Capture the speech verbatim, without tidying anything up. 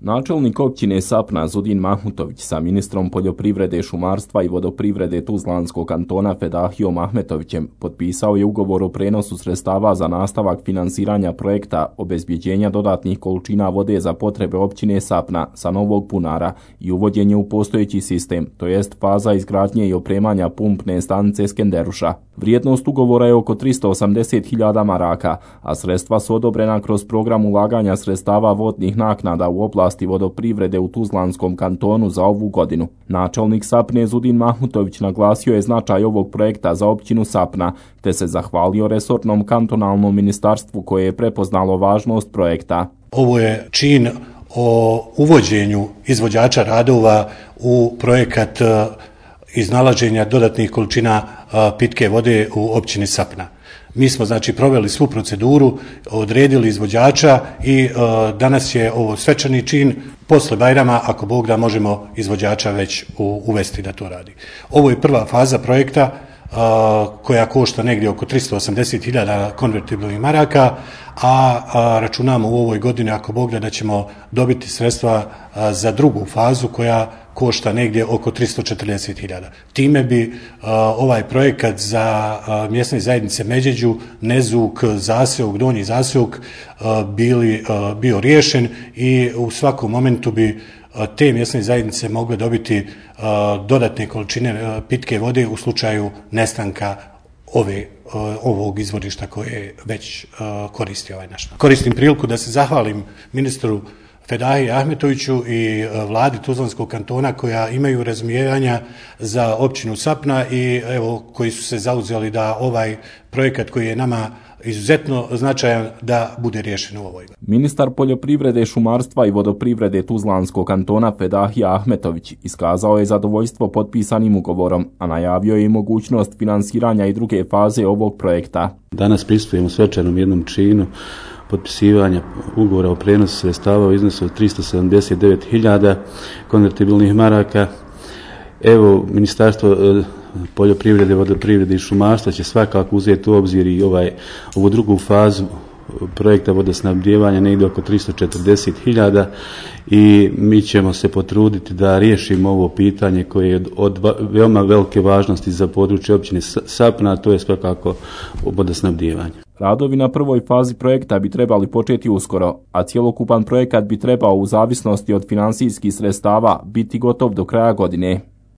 Načelnik općine Sapna Zudin Mahmutović sa ministrom poljoprivrede, šumarstva i vodoprivrede Tuzlanskog kantona Fedahijom Ahmetovićem potpisao je ugovor o prenosu sredstava za nastavak finansiranja projekta obezbjeđenja dodatnih količina vode za potrebe općine Sapna sa novog bunara i uvođenje u postojeći sistem, to jest faza izgradnje i opremanja pumpne stanice Skenderuša. Vrijednost ugovora je oko tristo osamdeset hiljada maraka, a sredstva su odobrena kroz program ulaganja sredstava vodnih naknada u oblasti vodoprivrede u Tuzlanskom kantonu za ovu godinu. Načelnik Sapne Zudin Mahmutović naglasio je značaj ovog projekta za općinu Sapna, te se zahvalio resornom kantonalnom ministarstvu koje je prepoznalo važnost projekta. Ovo je čin o uvođenju izvođača radova u projekat iznalaženja dodatnih količina pitke vode u općini Sapna. Mi smo znači proveli svu proceduru, odredili izvođača i e, danas je ovo svečani čin. Posle Bajrama, ako Bog da, možemo izvođača već u, uvesti da to radi. Ovo je prva faza projekta e, koja košta negdje oko tristo osamdeset hiljada konvertibilnih maraka, a, a računamo u ovoj godini, ako Bog da, da ćemo dobiti sredstva a, za drugu fazu koja košta negdje oko tristo četrdeset hiljada. Time bi uh, ovaj projekat za uh, mjesne zajednice Međeđu, Nezuk, Zaseok, Donji Zaseok uh, bili, uh, bio riješen i u svakom momentu bi uh, te mjesne zajednice mogle dobiti uh, dodatne količine uh, pitke vode u slučaju nestanka ove, uh, ovog izvorišta koje već uh, koristi ovaj naš. Koristim priliku da se zahvalim ministru Fedahiji Ahmetoviću i vladi Tuzlanskog kantona koja imaju razumijevanja za općinu Sapna i evo koji su se zauzeli da ovaj projekat koji je nama izuzetno značajan da bude riješen u ovoj. Ministar poljoprivrede, šumarstva i vodoprivrede Tuzlanskog kantona Fedahija Ahmetović iskazao je zadovoljstvo potpisanim ugovorom, a najavio je i mogućnost finansiranja i druge faze ovog projekta. Danas pristupujemo svečanom jednom činu potpisivanja ugovora o prenosu sredstava u iznosu od tristo sedamdeset devet hiljada konvertibilnih maraka. Evo, Ministarstvo poljoprivrede, vodoprivrede i šumarstva će svakako uzeti u obzir i ovaj, ovu drugu fazu projekta vodosnabdijevanja negdje oko tristo četrdeset hiljada i mi ćemo se potruditi da riješimo ovo pitanje koje je od veoma velike važnosti za područje općine Sapna, a to je svakako vodosnabdijevanje. Radovi na prvoj fazi projekta bi trebali početi uskoro, a cjelokupan projekat bi trebao u zavisnosti od financijskih sredstava biti gotov do kraja godine.